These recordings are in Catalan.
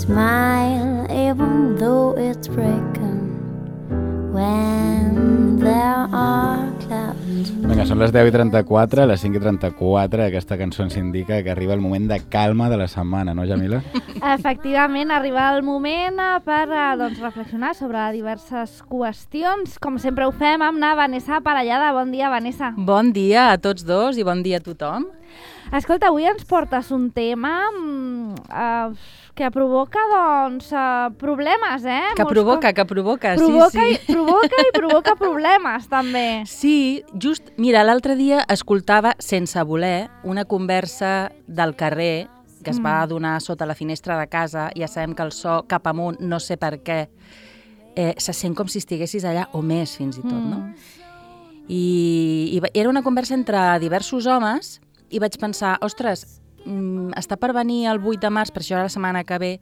smile even though it's breaking when there are clouds. Vinga, són les 10:34, les 5:34, aquesta cançó ens indica que arriba el moment de calma de la setmana, no, Jamila? Efectivament, arriba el moment per reflexionar sobre diverses qüestions. Com sempre ho fem amb la Vanessa Parellada. Bon dia, Vanessa. Bon dia a tots dos i bon dia a tothom. Escolta, avui ens portes un tema que provoca, problemes, Que provoca, sí. Provoca problemes, també. Sí, just, mira, l'altre dia escoltava, sense voler, una conversa del carrer que es va donar sota la finestra de casa. Ja sabem que el so cap amunt, no sé per què, se sent com si estiguessis allà, o més fins i tot, no? I era una conversa entre diversos homes i vaig pensar, ostres, està per venir el 8 de març, per això la setmana que ve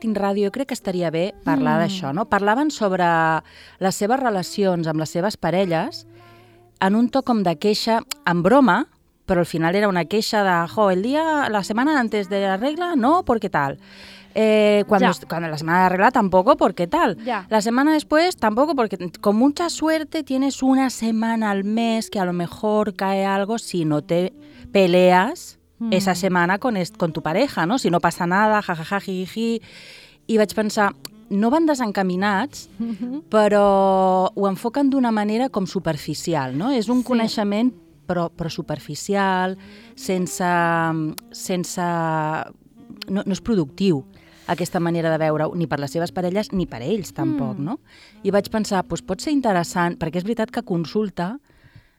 tinc ràdio, jo crec que estaria bé parlar d'això, no? Parlaven sobre les seves relacions amb les seves parelles en un to com de queixa, en broma, però al final era una queixa de, la semana antes de la regla, no, porque tal. Cuando la semana de regla tampoco, porque tal. Ya. La semana después tampoco, porque con mucha suerte tienes una semana al mes que a lo mejor cae algo si no te peleas esa semana con tu pareja, ¿no? Si no pasa nada, jajaja, jiji. I vaig pensar, no van desencaminats, però ho enfoquen d'una manera com superficial, no? És un coneixement però superficial, no és productiu aquesta manera de veure-ho, ni per les seves parelles ni per ells tampoc, no? I vaig pensar, doncs pot ser interessant, perquè és veritat que consulta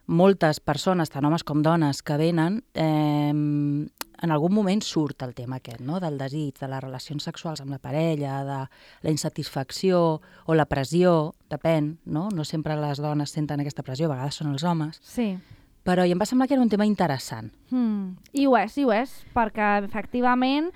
moltes persones, tant homes com dones, que venen, en algun moment surt el tema aquest, no? Del desig, de les relacions sexuals amb la parella, de la insatisfacció o la pressió, depèn, no? No sempre les dones senten aquesta pressió, a vegades són els homes. Sí. Però i em va semblar que era un tema interessant. I ho és, perquè efectivament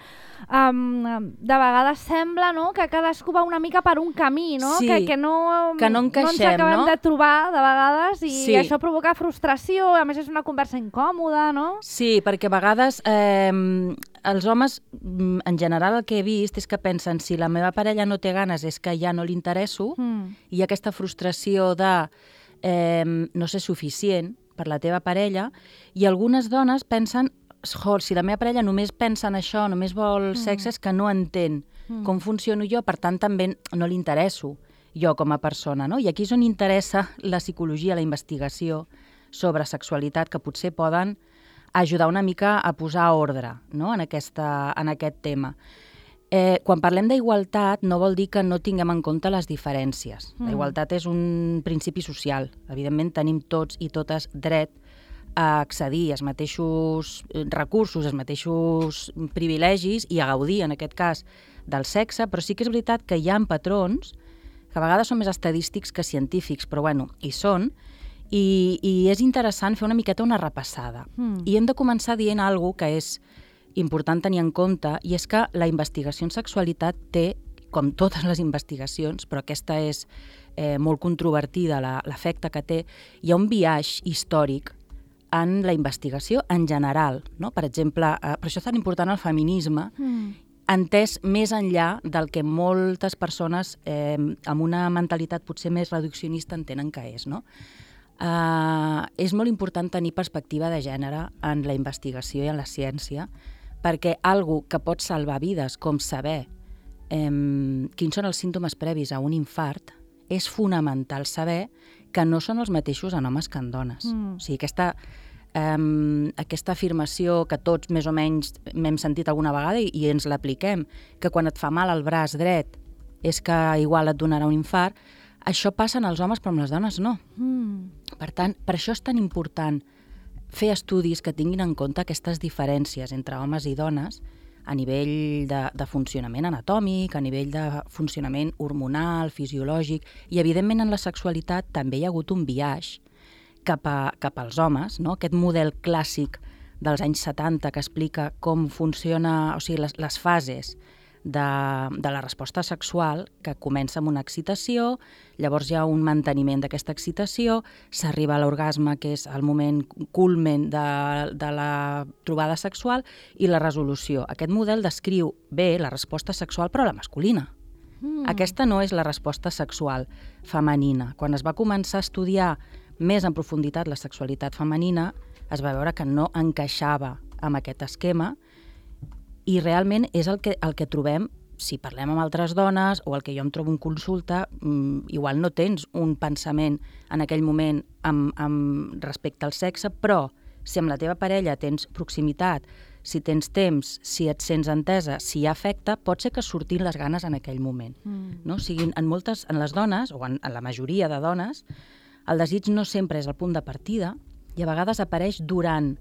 de vegades sembla, no?, que cadascú va una mica per un camí, no? Sí, que no encaixem, ens acabem de trobar de vegades i això provoca frustració, a més és una conversa incòmoda, no? Sí, perquè a vegades els homes, en general el que he vist és que pensen si la meva parella no té ganes és que ja no li interesso i hi ha aquesta frustració de no ser suficient per la teva parella, i algunes dones pensen, si la meva parella només pensa en això, només vol sexe, és que no entén com funciono jo, per tant també no li interesso jo com a persona, no? I aquí és on interessa la psicologia, la investigació sobre sexualitat, que potser poden ajudar una mica a posar ordre, no?, en aquest tema. Quan parlem d'igualtat no vol dir que no tinguem en compte les diferències. La igualtat és un principi social. Evidentment tenim tots i totes dret a accedir als mateixos recursos, als mateixos privilegis i a gaudir, en aquest cas, del sexe, però sí que és veritat que hi ha patrons que a vegades són més estadístics que científics, però bueno, hi són, i és interessant fer una miqueta una repassada. I hem de començar dient alguna cosa que és important tenir en compte, i és que la investigació en sexualitat té, com totes les investigacions, però aquesta és molt controvertida, l'efecte que té, hi ha un biaix històric en la investigació en general, no? Per exemple, per això és tan important el feminisme, entès més enllà del que moltes persones amb una mentalitat potser més reduccionista entenen que és, no? És molt important tenir perspectiva de gènere en la investigació i en la ciència, perquè algo que pot salvar vides, com saber quins són els símptomes previs a un infart, és fonamental saber que no són els mateixos en homes que en dones. O sigui, aquesta afirmació que tots més o menys m'hem sentit alguna vegada i ens l'apliquem, que quan et fa mal el braç dret és que igual et donarà un infart, això passa en els homes però amb les dones no. Per tant, per això és tan important fer estudis que tinguin en compte aquestes diferències entre homes i dones a nivell de funcionament anatòmic, a nivell de funcionament hormonal, fisiològic, i evidentment en la sexualitat també hi ha hagut un biaix cap als homes, no? Aquest model clàssic dels anys 70 que explica com funciona, o sigui, les fases de la resposta sexual, que comença amb una excitació, llavors hi ha un manteniment d'aquesta excitació, s'arriba a l'orgasme, que és el moment culmen de la trobada sexual, i la resolució. Aquest model descriu bé la resposta sexual, però la masculina. Aquesta no és la resposta sexual femenina. Quan es va començar a estudiar més en profunditat la sexualitat femenina, es va veure que no encaixava amb aquest esquema, i realment és el que trobem si parlem amb altres dones o el que jo em trobo en consulta. Igual no tens un pensament en aquell moment respecte al sexe, però si amb la teva parella tens proximitat, si tens temps, si et sents entesa, si hi ha afecte, pot ser que surtin les ganes en aquell moment. No? O sigui, en les dones, o en la majoria de dones, el desig no sempre és el punt de partida i a vegades apareix durant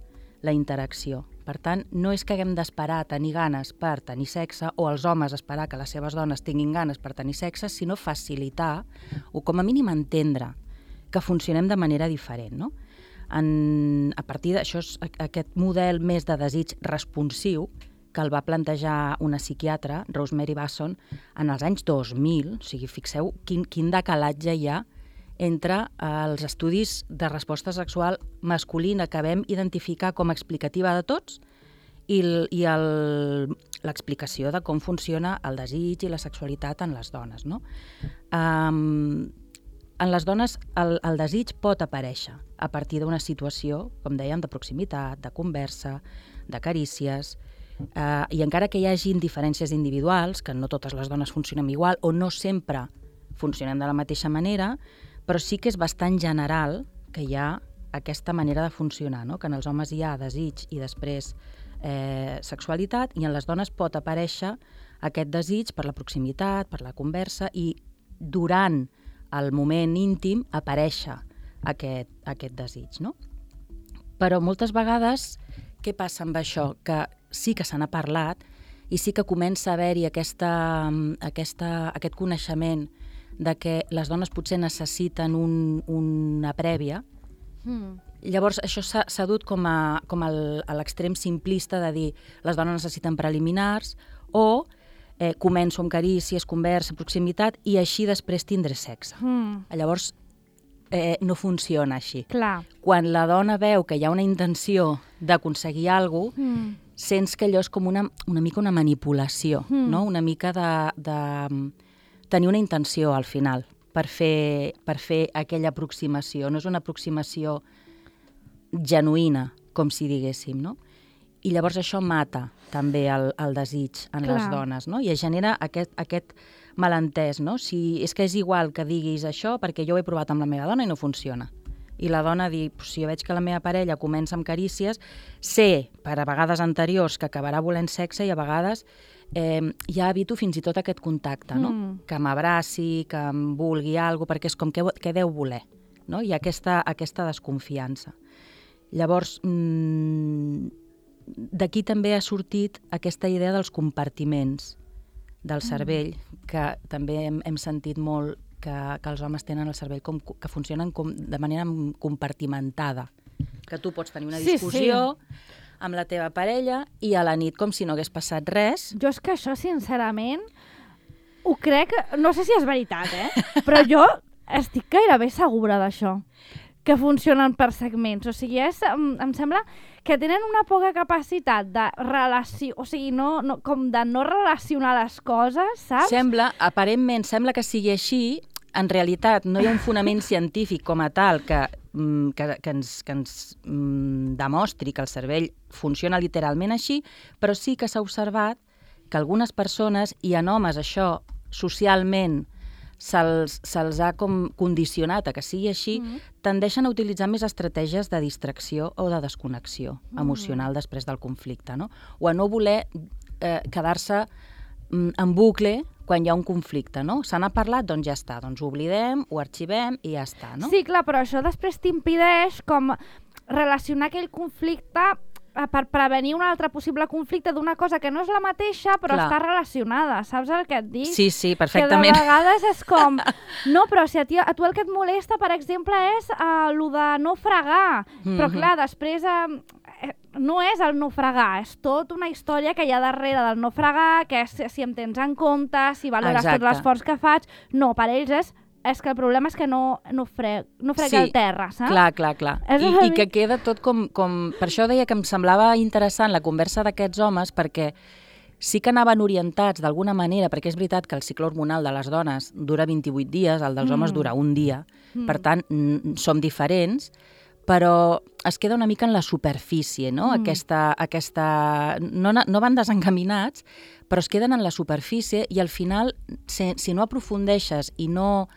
la interacció. Per tant, no és que haguem d'esperar a tenir ganes per tenir sexe o els homes esperar que les seves dones tinguin ganes per tenir sexe, sinó facilitar o com a mínim entendre que funcionem de manera diferent. No? A partir d'això, aquest model més de desig responsiu que el va plantejar una psiquiatra, Rosemary Basson, en els anys 2000, o sigui, fixeu quin decalatge hi ha entre els estudis de resposta sexual masculina que vam identificar com a explicativa de tots i l'explicació de com funciona el desig i la sexualitat en les dones. No? En les dones el desig pot aparèixer a partir d'una situació, com dèiem, de proximitat, de conversa, de carícies, i encara que hi hagin diferències individuals, que no totes les dones funcionem igual o no sempre funcionem de la mateixa manera, però sí que és bastant general que hi ha aquesta manera de funcionar, no? Que en els homes hi ha desig i després sexualitat, i en les dones pot aparèixer aquest desig per la proximitat, per la conversa, i durant el moment íntim aparèixer aquest desig. No? Però moltes vegades, què passa amb això? Que sí que se n'ha parlat i sí que comença a haver-hi aquest coneixement de que les dones potser necessiten una prèvia. Llavors, això s'ha dut com a l'extrem simplista de dir les dones necessiten preliminars o començo amb carícies, conversa, proximitat i així després tindré sexe. Llavors, no funciona així. Clar. Quan la dona veu que hi ha una intenció d'aconseguir alguna cosa, sents que allò és com una mica una manipulació, no? Una mica de tenir una intenció al final per fer aquella aproximació. No és una aproximació genuïna, com si diguéssim, no? I llavors això mata també el desig en les dones, no? I es genera aquest malentès, no? És que és igual que diguis això perquè jo ho he provat amb la meva dona i no funciona. I la dona diu, si jo veig que la meva parella comença amb carícies, sé, per a vegades anteriors, que acabarà volent sexe i a vegades ja evito fins i tot aquest contacte, no? Que m'abraci, que em vulgui alguna cosa, perquè és com què deu voler, no? Hi ha aquesta desconfiança. Llavors, d'aquí també ha sortit aquesta idea dels compartiments del cervell, que també hem sentit molt que els homes tenen el cervell que funcionen de manera compartimentada. Que tu pots tenir una discussió amb la teva parella i a la nit com si no hagués passat res. Jo és que això, sincerament, ho crec, no sé si és veritat, però jo estic gairebé segura d'això, que funcionen per segments. O sigui, em sembla que tenen una poca capacitat de relació, o sigui, com de no relacionar les coses, saps? Aparentment sembla que sigui així. En realitat no hi ha un fonament científic com a tal que ens demostri que el cervell funciona literalment així, però sí que s'ha observat que algunes persones, i en homes això socialment se'ls ha com condicionat a que sigui així, tendeixen a utilitzar més estratègies de distracció o de desconnexió emocional després del conflicte, no? O a no voler quedar-se en bucle quan hi ha un conflicte, no? Se n'ha parlat, doncs ja està, doncs ho oblidem, ho arxivem i ja està, no? Sí, clar, però això després t'impedeix com relacionar aquell conflicte per prevenir un altre possible conflicte d'una cosa que no és la mateixa, però està relacionada, saps el que et dic? Sí, perfectament. Que de vegades és com... No, però si a tu el que et molesta, per exemple, és el de no fregar. Però clar, després... no és el no fregar, és tot una història que hi ha darrere del no fregar, que és si em tens en compte, si valores tot l'esforç que faig. No, per ells és que el problema és que no frega el terra, saps? Clar. I que queda tot com... Per això deia que em semblava interessant la conversa d'aquests homes, perquè sí que anaven orientats d'alguna manera, perquè és veritat que el cicle hormonal de les dones dura 28 dies, el dels homes dura un dia, per tant, som diferents, però es queda una mica en la superfície, no? No van desencaminats, però es queden en la superfície i al final, si no aprofundeixes i no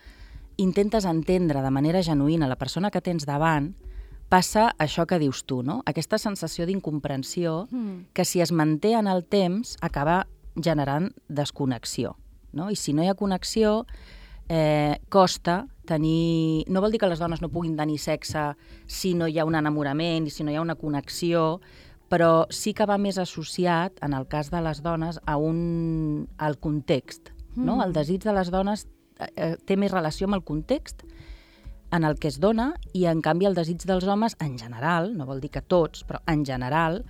intentes entendre de manera genuïna la persona que tens davant, passa això que dius tu, no? Aquesta sensació d'incomprensió que si es manté en el temps acaba generant desconnexió, no? I si no hi ha connexió, costa tenir... No vol dir que les dones no puguin tenir sexe si no hi ha un enamorament i si no hi ha una connexió, però sí que va més associat, en el cas de les dones, al context. No? El desig de les dones té més relació amb el context en el que es dona i, en canvi, el desig dels homes, en general, no vol dir que tots, però en general,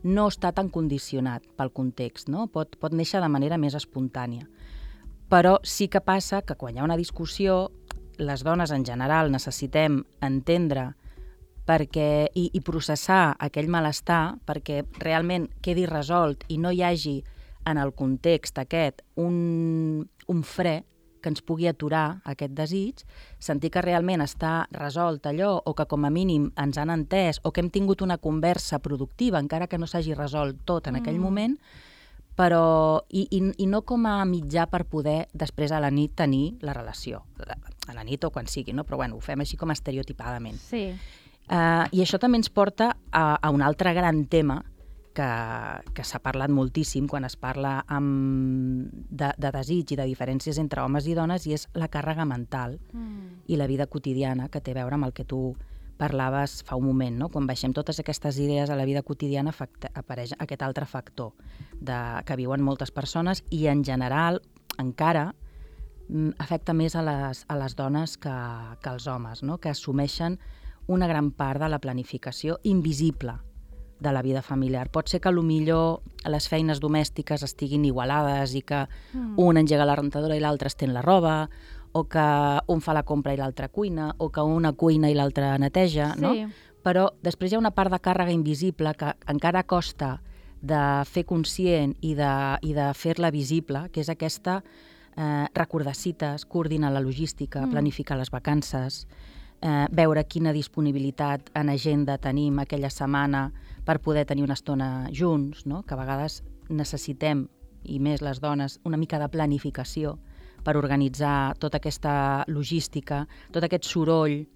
no està tan condicionat pel context, no? Pot néixer de manera més espontània. Però sí que passa que quan hi ha una discussió, les dones en general necessitem entendre i processar aquell malestar perquè realment quedi resolt i no hi hagi en el context aquest un fre que ens pugui aturar aquest desig, sentir que realment està resolt allò o que com a mínim ens han entès o que hem tingut una conversa productiva, encara que no s'hagi resolt tot en aquell moment, però i no com a mitjà per poder després a la nit tenir la relació, a la nit o quan sigui, no? Però bueno, ho fem així com estereotipadament. Sí. I això també ens porta a un altre gran tema que s'ha parlat moltíssim quan es parla de desig i de diferències entre homes i dones, i és la càrrega mental i la vida quotidiana, que té a veure amb el que tu parlaves fa un moment, no? Quan baixem totes aquestes idees a la vida quotidiana apareix aquest altre factor que viuen moltes persones i en general encara afecta més a les dones que als homes, no? Que assumeixen una gran part de la planificació invisible de la vida familiar. Pot ser que millor les feines domèstiques estiguin igualades i que un engega la rentadora i l'altre estén la roba, o que un fa la compra i l'altre cuina, o que una cuina i l'altre neteja, no? Sí. Però després hi ha una part de càrrega invisible que encara costa de fer conscient i de fer-la visible, que és aquesta recordar cites, coordinar la logística, planificar les vacances, veure quina disponibilitat en agenda tenim aquella setmana per poder tenir una estona junts, no? Que a vegades necessitem, i més les dones, una mica de planificació per organitzar tota aquesta logística, tot aquest soroll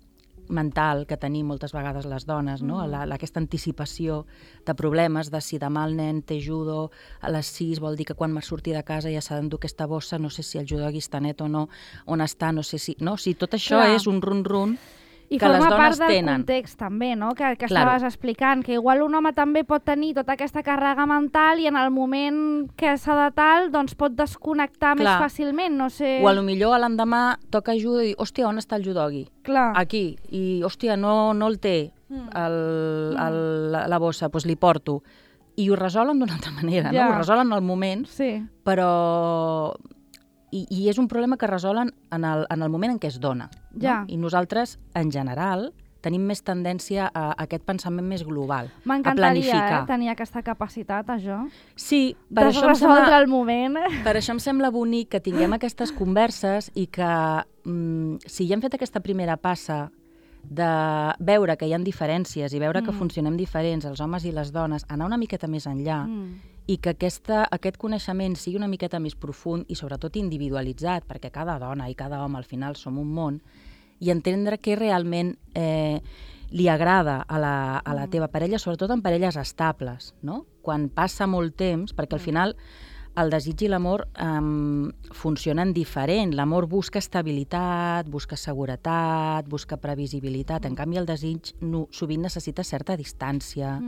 mental que tenim moltes vegades les dones, no? Aquesta anticipació de problemes, de si demà el nen té judo a les 6, vol dir que quan m'ha sortit de casa ja s'ha d'endur aquesta bossa, no sé si el judogui està net o no, on està, no sé si... No, si tot això és un run-run i que les dones tenen. I forma part del context també, no? Que estaves explicant, que igual un home també pot tenir tota aquesta càrrega mental i en el moment que s'ha de tal, doncs pot desconnectar més fàcilment, no sé... O potser l'endemà toca judo i dir, hòstia, on està el judogui? Clar. Aquí. I, hòstia, no el té la bossa, doncs li porto. I ho resolen d'una altra manera, no? Ho resolen al moment, però... I és un problema que resolen en el moment en què es dona. No? I nosaltres, en general, tenim més tendència a aquest pensament més global, a planificar. M'encantaria tenir aquesta capacitat, això. Sí, per això resoldre el moment. Per això em sembla bonic que tinguem aquestes converses i que si ja hem fet aquesta primera passa de veure que hi ha diferències i veure que funcionem diferents, els homes i les dones, anar una miqueta més enllà i que aquest coneixement sigui una miqueta més profund i sobretot individualitzat, perquè cada dona i cada home al final som un món, i entendre què realment li agrada a la teva parella, sobretot en parelles estables, no? Quan passa molt temps, perquè al final el desig i l'amor funcionen diferent. L'amor busca estabilitat, busca seguretat, busca previsibilitat. En canvi, el desig sovint necessita certa distància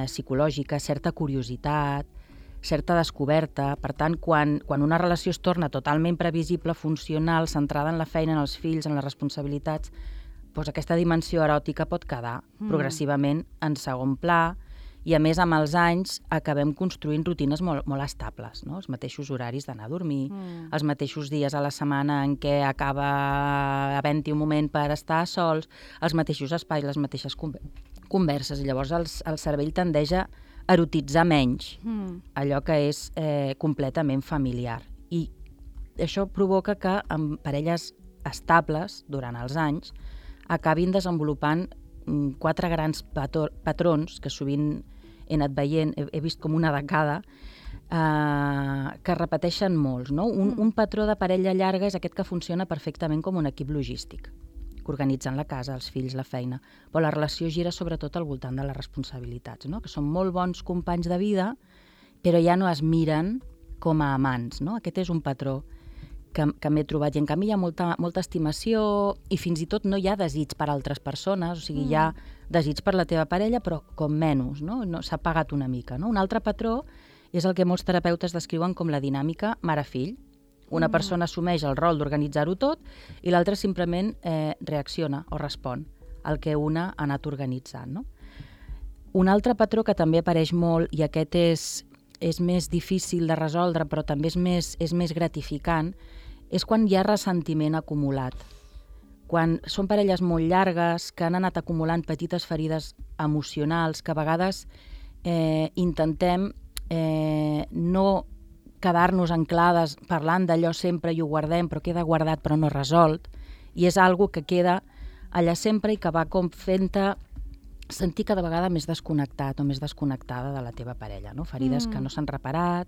psicològica, certa curiositat, certa descoberta. Per tant, quan una relació es torna totalment previsible, funcional, centrada en la feina, en els fills, en les responsabilitats, doncs aquesta dimensió eròtica pot quedar progressivament en segon pla I a més, amb els anys, acabem construint rutines molt estables, no? Els mateixos horaris d'anar a dormir, els mateixos dies a la setmana en què acaba havent-hi un moment per estar sols, els mateixos espais, les mateixes converses. I llavors el cervell tendeix a erotitzar menys allò que és completament familiar. I això provoca que amb parelles estables, durant els anys, acabin desenvolupant 4 grans patrons que sovint he anat veient, he vist com una de cada, que es repeteixen molts. No? Un patró de parella llarga és aquest que funciona perfectament com un equip logístic, que organitzen la casa, els fills, la feina, però la relació gira sobretot al voltant de les responsabilitats, no? Que són molt bons companys de vida, però ja no es miren com a amants. No? Aquest és un patró que m'he trobat. I en canvi hi ha molta estimació i fins i tot no hi ha desig per altres persones, o sigui, hi ha desig per la teva parella, però com menys, no? S'ha apagat una mica. No? Un altre patró és el que molts terapeutes descriuen com la dinàmica mare-fill. Una persona assumeix el rol d'organitzar-ho tot i l'altra simplement reacciona o respon al que una ha anat organitzant. No? Un altre patró que també apareix molt, i aquest és més difícil de resoldre, però també és més gratificant, és quan hi ha ressentiment acumulat. Quan són parelles molt llargues, que han anat acumulant petites ferides emocionals, que a vegades intentem no quedar-nos anclades parlant d'allò sempre i ho guardem, però queda guardat però no resolt, i és algo que queda allà sempre i que va com fent-te sentir cada vegada més desconnectat o més desconnectada de la teva parella, no? Ferides que no s'han reparat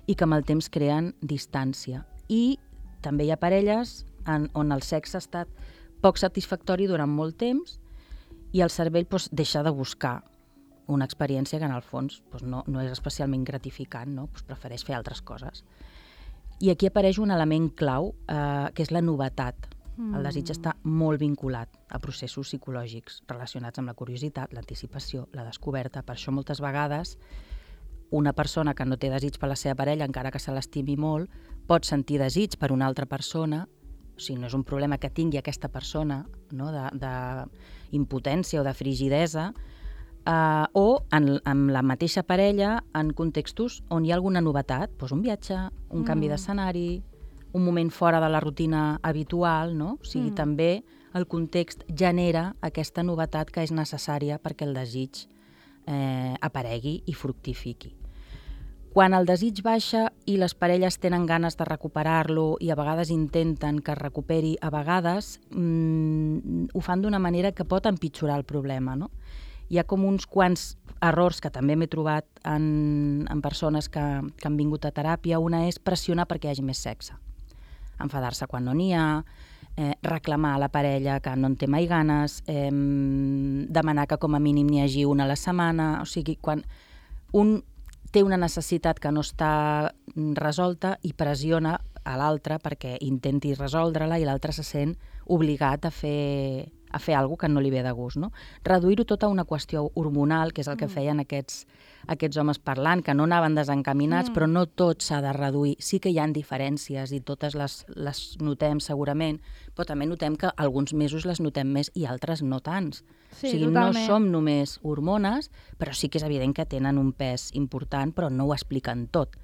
i que amb el temps creen distància. I també hi ha parelles on el sexe ha estat poc satisfactori durant molt temps i el cervell deixa de buscar una experiència que en el fons no és especialment gratificant, no? Prefereix fer altres coses. I aquí apareix un element clau, que és la novetat. El desig està molt vinculat a processos psicològics relacionats amb la curiositat, l'anticipació, la descoberta. Per això moltes vegades una persona que no té desig per la seva parella, encara que se l'estimi molt, pot sentir desig per una altra persona, o sigui, no és un problema que tingui aquesta persona, no? D'impotència o de frigidesa, o amb la mateixa parella en contextos on hi ha alguna novetat, un viatge, un canvi d'escenari, un moment fora de la rutina habitual, no? O sigui, també el context genera aquesta novetat que és necessària perquè el desig aparegui i fructifiqui. Quan el desig baixa i les parelles tenen ganes de recuperar-lo i a vegades intenten que es recuperi, a vegades ho fan d'una manera que pot empitjorar el problema, no? Hi ha com uns quants errors que també m'he trobat en persones que han vingut a teràpia. Una és pressionar perquè hi hagi més sexe. Enfadar-se quan no n'hi ha, reclamar a la parella que no en té mai ganes, demanar que com a mínim n'hi hagi una a la setmana. O sigui, quan un té una necessitat que no està resolta i pressiona a l'altre perquè intenti resoldre-la i l'altre se sent obligat a fer alguna cosa que no li ve de gust. No? Reduir-ho tot a una qüestió hormonal, que és el que feien aquests homes parlant, que no anaven desencaminats, però no tot s'ha de reduir. Sí que hi ha diferències i totes les notem segurament, però també notem que alguns mesos les notem més i altres no tants. Sí, o sigui, totalment. no som només hormones, però sí que és evident que tenen un pes important, però no ho expliquen tot.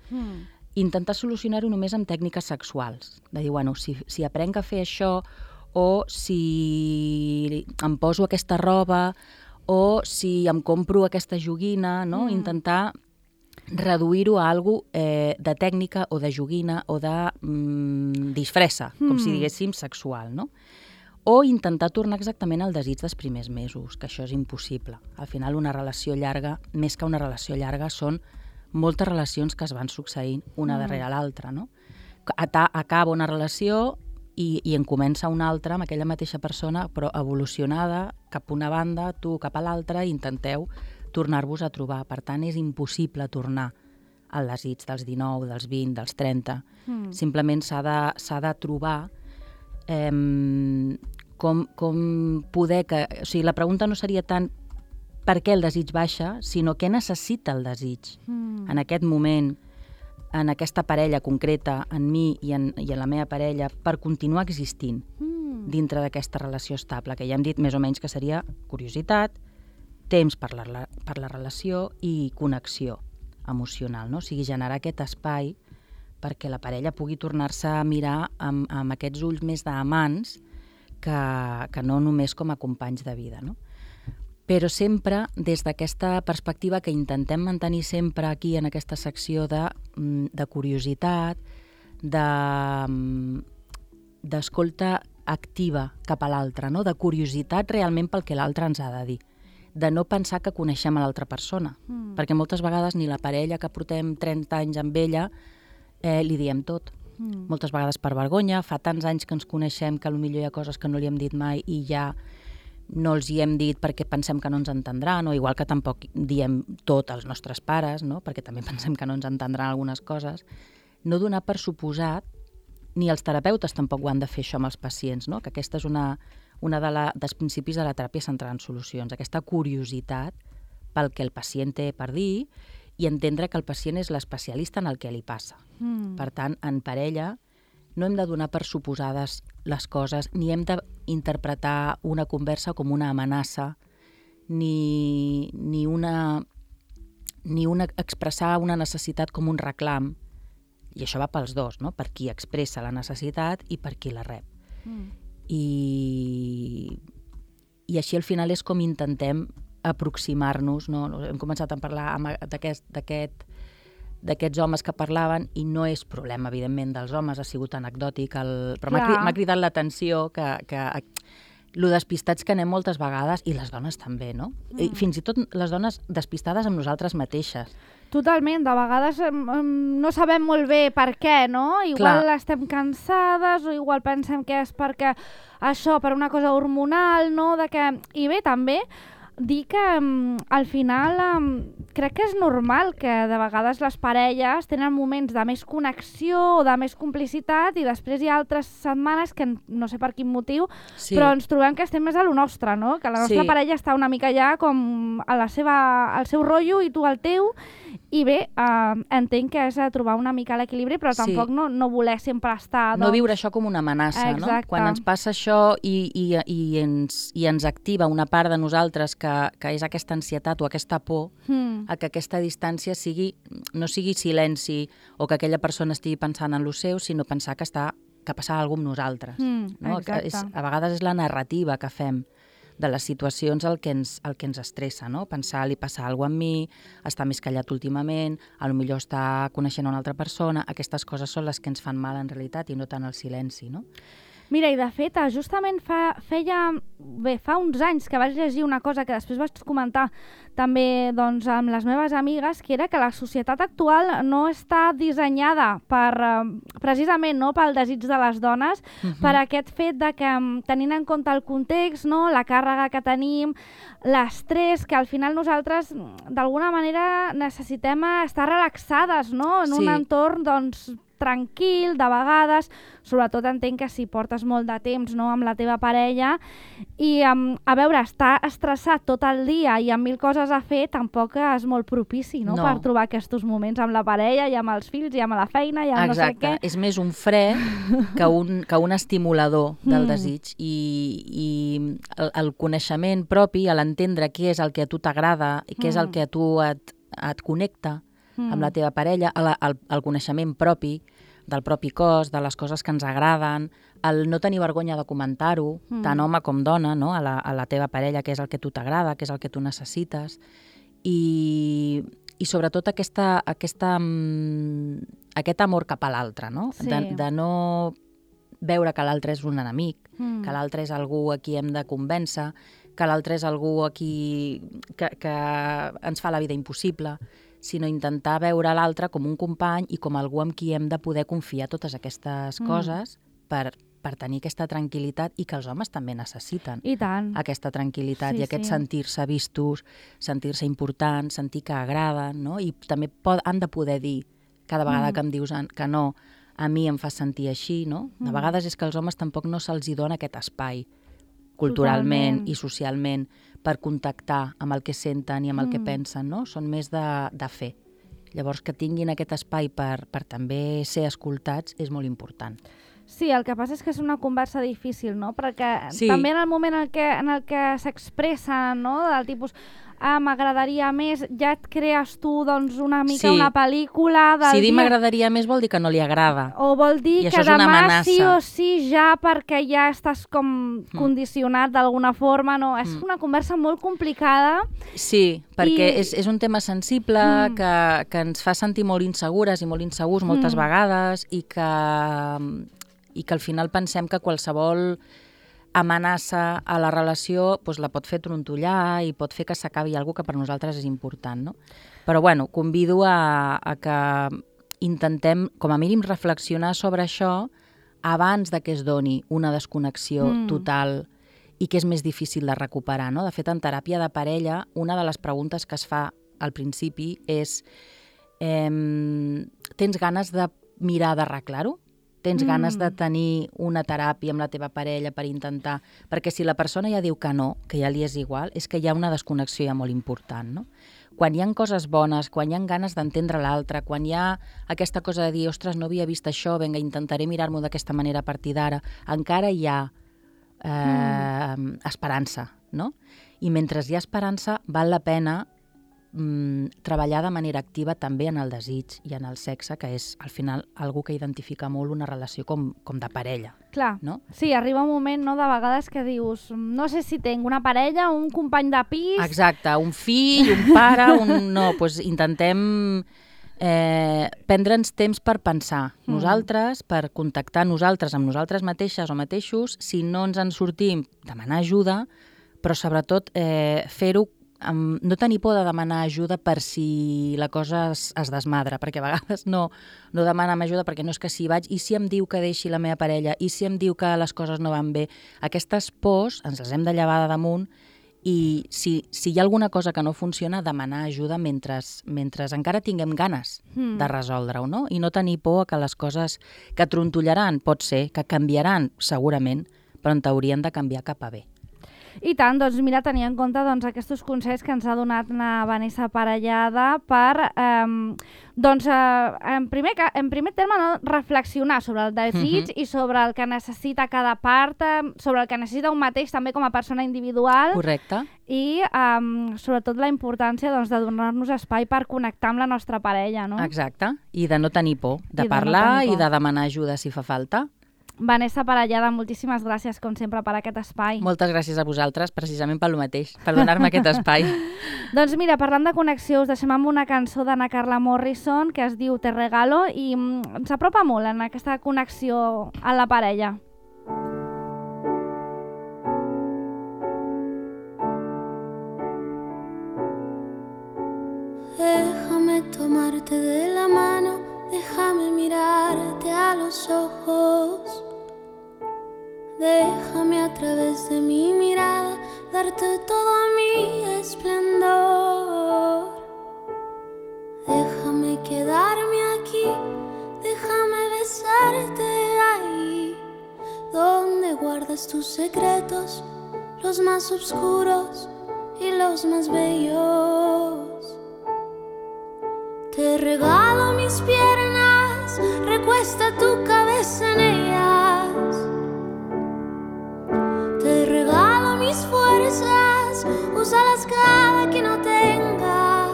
Intentar solucionar-ho només amb tècniques sexuals. De dir, bueno, si aprenc a fer això, o si em poso aquesta roba, o si em compro aquesta joguina, no? Intentar reduir-ho a alguna cosa de tècnica o de joguina o de disfressa, com si diguéssim sexual, no? O intentar tornar exactament al desig dels primers mesos, que això és impossible. Al final, una relació llarga, més que una relació llarga, són moltes relacions que es van succeint una darrere l'altra, no? Acaba una relació i en comença una altra amb aquella mateixa persona, però evolucionada cap una banda, tu cap a l'altra, i intenteu tornar-vos a trobar. Per tant, és impossible tornar al desig dels 19, dels 20, dels 30. Simplement s'ha de trobar com poder que... O sigui, la pregunta no seria tant per què el desig baixa, sinó què necessita el desig en aquest moment, en aquesta parella concreta, en mi i en la meva parella, per continuar existint dintre d'aquesta relació estable, que ja hem dit més o menys que seria curiositat, temps per la relació i connexió emocional, no? O sigui, generar aquest espai perquè la parella pugui tornar-se a mirar amb aquests ulls més d'amants que no només com a companys de vida, no? Però sempre des d'aquesta perspectiva que intentem mantenir sempre aquí en aquesta secció de curiositat, d'escolta activa cap a l'altre, no? De curiositat realment pel que l'altre ens ha de dir, de no pensar que coneixem a l'altra persona, perquè moltes vegades ni la parella que portem 30 anys amb ella li diem tot. Moltes vegades per vergonya, fa tants anys que ens coneixem que potser hi ha coses que no li hem dit mai i ja no els hi hem dit perquè pensem que no ens entendran, o igual que tampoc diem tot als nostres pares, no? Perquè també pensem que no ens entendran algunes coses. No donar per suposat, ni els terapeutes tampoc ho han de fer això amb els pacients, no? Que aquesta és una dels principis de la teràpia centrada en solucions, aquesta curiositat pel que el pacient té per dir i entendre que el pacient és l'especialista en el que li passa. Per tant, en parella no hem de donar per suposades les coses, ni hem d'interpretar una conversa com una amenaça, ni expressar una necessitat com un reclam. I això va pels dos, no? Per qui expressa la necessitat i per qui la rep. I així al final és com intentem aproximar-nos, no? Hem començat a parlar d'aquests homes que parlaven i no és problema, evidentment, dels homes, ha sigut anecdòtic, però m'ha cridat l'atenció que lo despistats que anem moltes vegades, i les dones també, no? I fins i tot les dones despistades amb nosaltres mateixes. Totalment, de vegades no sabem molt bé per què, no? Igual estem cansades o igual pensem que és perquè això, per una cosa hormonal, no? I bé, també dir que al final crec que és normal que de vegades les parelles tenen moments de més connexió o de més complicitat i després hi ha altres setmanes que no sé per quin motiu, però ens trobem que estem més a lo nostre, no? Que la nostra parella està una mica ja com al seu rotllo i tu al teu, i bé, entenc que és trobar una mica l'equilibri, però tampoc no voler sempre estar... No viure això com una amenaça, no? Quan ens passa això i ens activa una part de nosaltres que és aquesta ansietat o aquesta por, a que aquesta distància no sigui silenci o que aquella persona estigui pensant en lo seu, sinó pensar que passa alguna cosa amb nosaltres. No? A vegades és la narrativa que fem de les situacions el que ens estressa, no? Pensar, li passa alguna cosa amb mi, està més callat últimament, potser està coneixent una altra persona, aquestes coses són les que ens fan mal en realitat i no tant el silenci, no? Mira, i de fet, justament fa uns anys que vaig llegir una cosa que després vaig comentar també doncs, amb les meves amigues, que era que la societat actual no està dissenyada precisament pel desig de les dones, per aquest fet de que, tenint en compte el context, la càrrega que tenim, l'estrès, que al final nosaltres d'alguna manera necessitem estar relaxades, no? En un entorn doncs, tranquil, de vegades, sobretot entenc que si portes molt de temps amb la teva parella i a veure, estar estressat tot el dia i amb 1000 coses a fer tampoc és molt propici per trobar aquests moments amb la parella i amb els fills i amb la feina i amb no sé què. Exacte, és més un fre que un estimulador del desig i el coneixement propi, l'entendre què és el que a tu t'agrada i què és el que a tu et connecta amb la teva parella, el coneixement propi del propi cos, de les coses que ens agraden, el no tenir vergonya de comentar-ho, tant home com dona, no? a la teva parella, què és el que a tu t'agrada, què és el que tu necessites, i sobretot aquest amor cap a l'altre, no? De no veure que l'altre és un enemic, que l'altre és algú a qui hem de convèncer, que l'altre és algú a qui que ens fa la vida impossible, sinó intentar veure l'altre com un company i com algú amb qui hem de poder confiar totes aquestes coses per tenir aquesta tranquil·litat i que els homes també necessiten. I tant. Aquesta tranquil·litat i aquest sentir-se vistos, sentir-se importants, sentir que agraden, no? I també han de poder dir, cada vegada que em dius que no, a mi em fa sentir així, no? De vegades és que als homes tampoc no se'ls dona aquest espai culturalment i socialment per contactar amb el que senten i amb el que pensen, no? Són més de fer. Llavors, que tinguin aquest espai per també ser escoltats és molt important. Sí, el que passa és que és una conversa difícil, no? Perquè també en el moment en el que s'expressa, no? Del tipus, m'agradaria més, ja et crees tu doncs, una mica Sí. una pel·lícula del Si dir dia... m'agradaria més vol dir que no li agrada. O vol dir I que això és una demà amenaça. sí o sí ja perquè ja estàs com condicionat d'alguna forma, no? És una conversa molt complicada. Sí, perquè I- és un tema sensible que ens fa sentir molt insegures i molt insegurs moltes vegades i que al final pensem que qualsevol amenaça a la relació doncs, la pot fer trontollar i pot fer que s'acabi alguna que per nosaltres és important, no? Però bueno, convido a que intentem, com a mínim, reflexionar sobre això abans de que es doni una desconnexió total i que és més difícil de recuperar, no? De fet, en teràpia de parella, una de les preguntes que es fa al principi és tens ganes de mirar d'arreglar-ho? Tens ganes de tenir una teràpia amb la teva parella per intentar... Perquè si la persona ja diu que no, que ja li és igual, és que hi ha una desconnexió ja molt important, no? Quan hi ha coses bones, quan hi ha ganes d'entendre l'altre, quan hi ha aquesta cosa de dir, ostres, no havia vist això, vinga, intentaré mirar-m'ho d'aquesta manera a partir d'ara, encara hi ha esperança, no? I mentre hi ha esperança, val la pena treballar de manera activa també en el desig i en el sexe, que és, al final, algo que identifica molt una relació com de parella. Clar, no? Sí, arriba un moment, no?, de vegades que dius, no sé si tinc una parella, un company de pis... Exacte, un fill, un pare, no, doncs intentem prendre'ns temps per pensar nosaltres, per contactar nosaltres amb nosaltres mateixes o mateixos, si no ens en sortim, demanar ajuda, però sobretot fer-ho, no tenir por de demanar ajuda per si la cosa es desmadra, perquè a vegades no demanem ajuda perquè no és que si vaig, i si em diu que deixi la meva parella, i si em diu que les coses no van bé, aquestes pors ens les hem de llevar de damunt i si hi ha alguna cosa que no funciona, demanar ajuda mentre encara tinguem ganes de resoldre-ho, no? I no tenir por que les coses que trontollaran, pot ser, que canviaran segurament, però en teoria han de canviar cap a bé. I tant, doncs mira, tenir en compte aquests consells que ens ha donat la Vanessa Parellada per, en primer terme, no, reflexionar sobre el desig i sobre el que necessita cada part, sobre el que necessita un mateix també com a persona individual. Correcte. I sobretot la importància de donar-nos espai per connectar amb la nostra parella, no? Exacte, i de no tenir por, de I de no parlar tenir por. i de demanar ajuda si fa falta. Vanessa Parellada, moltíssimes gràcies, com sempre, per aquest espai. Moltes gràcies a vosaltres, precisament per lo mateix, per donar-me aquest espai. Doncs mira, parlant de connexió, us deixem amb una cançó d'Anna Carla Morrison que es diu Te regalo i ens apropa molt en aquesta connexió a la parella. Déjame tomarte de la mano, déjame mirarte a los ojos. Déjame a través de mi mirada darte todo mi esplendor. Déjame quedarme aquí, déjame besarte ahí, donde guardas tus secretos, los más oscuros y los más bellos. Te regalo mis piernas, recuesta tu cabeza en ellas. Te regalo mis fuerzas, úsalas cada que no tengas.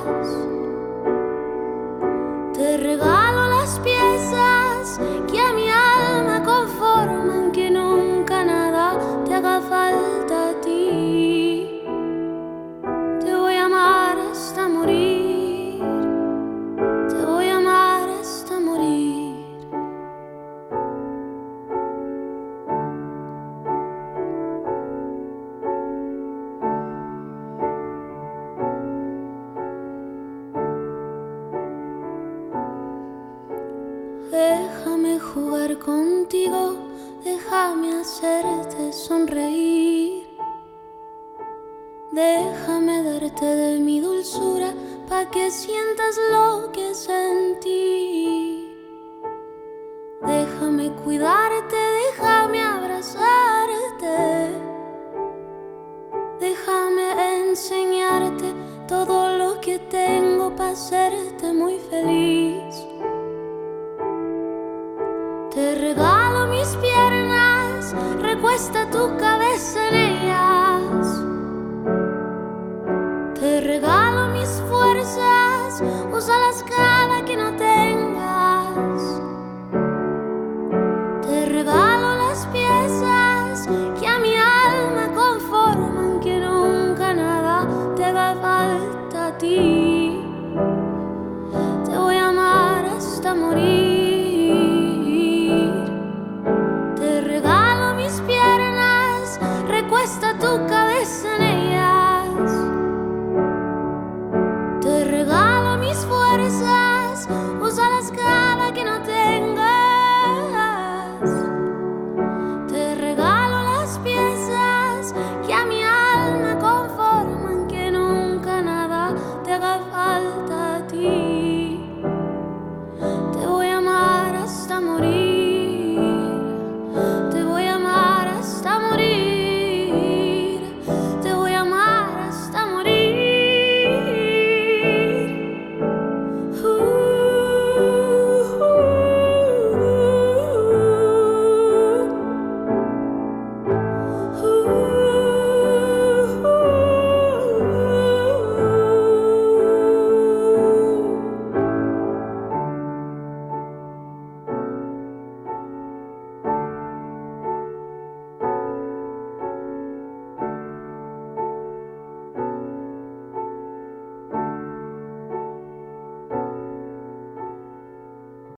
Te regalo las piezas que a mi alma conforman, que nunca nada te haga falta a ti. Te voy a amar hasta morir, te voy a amar hasta morir. Déjame jugar contigo, déjame hacerte sonreír. Déjame darte de mi dulzura pa' que sientas lo que sentí. Déjame cuidarte, déjame abrazarte. Déjame enseñarte todo lo que tengo pa' hacerte muy feliz. Te regalo mis piernas, recuesta tu cabeza en ellas. Te regalo Usa la escala que no tengas. Te regalo las piezas que a mi alma conforman, que nunca nada te haga falta a ti. Te voy a amar hasta morir. Te regalo mis piernas, recuesta tu cabeza en ellas. Te regalo mis fuerzas.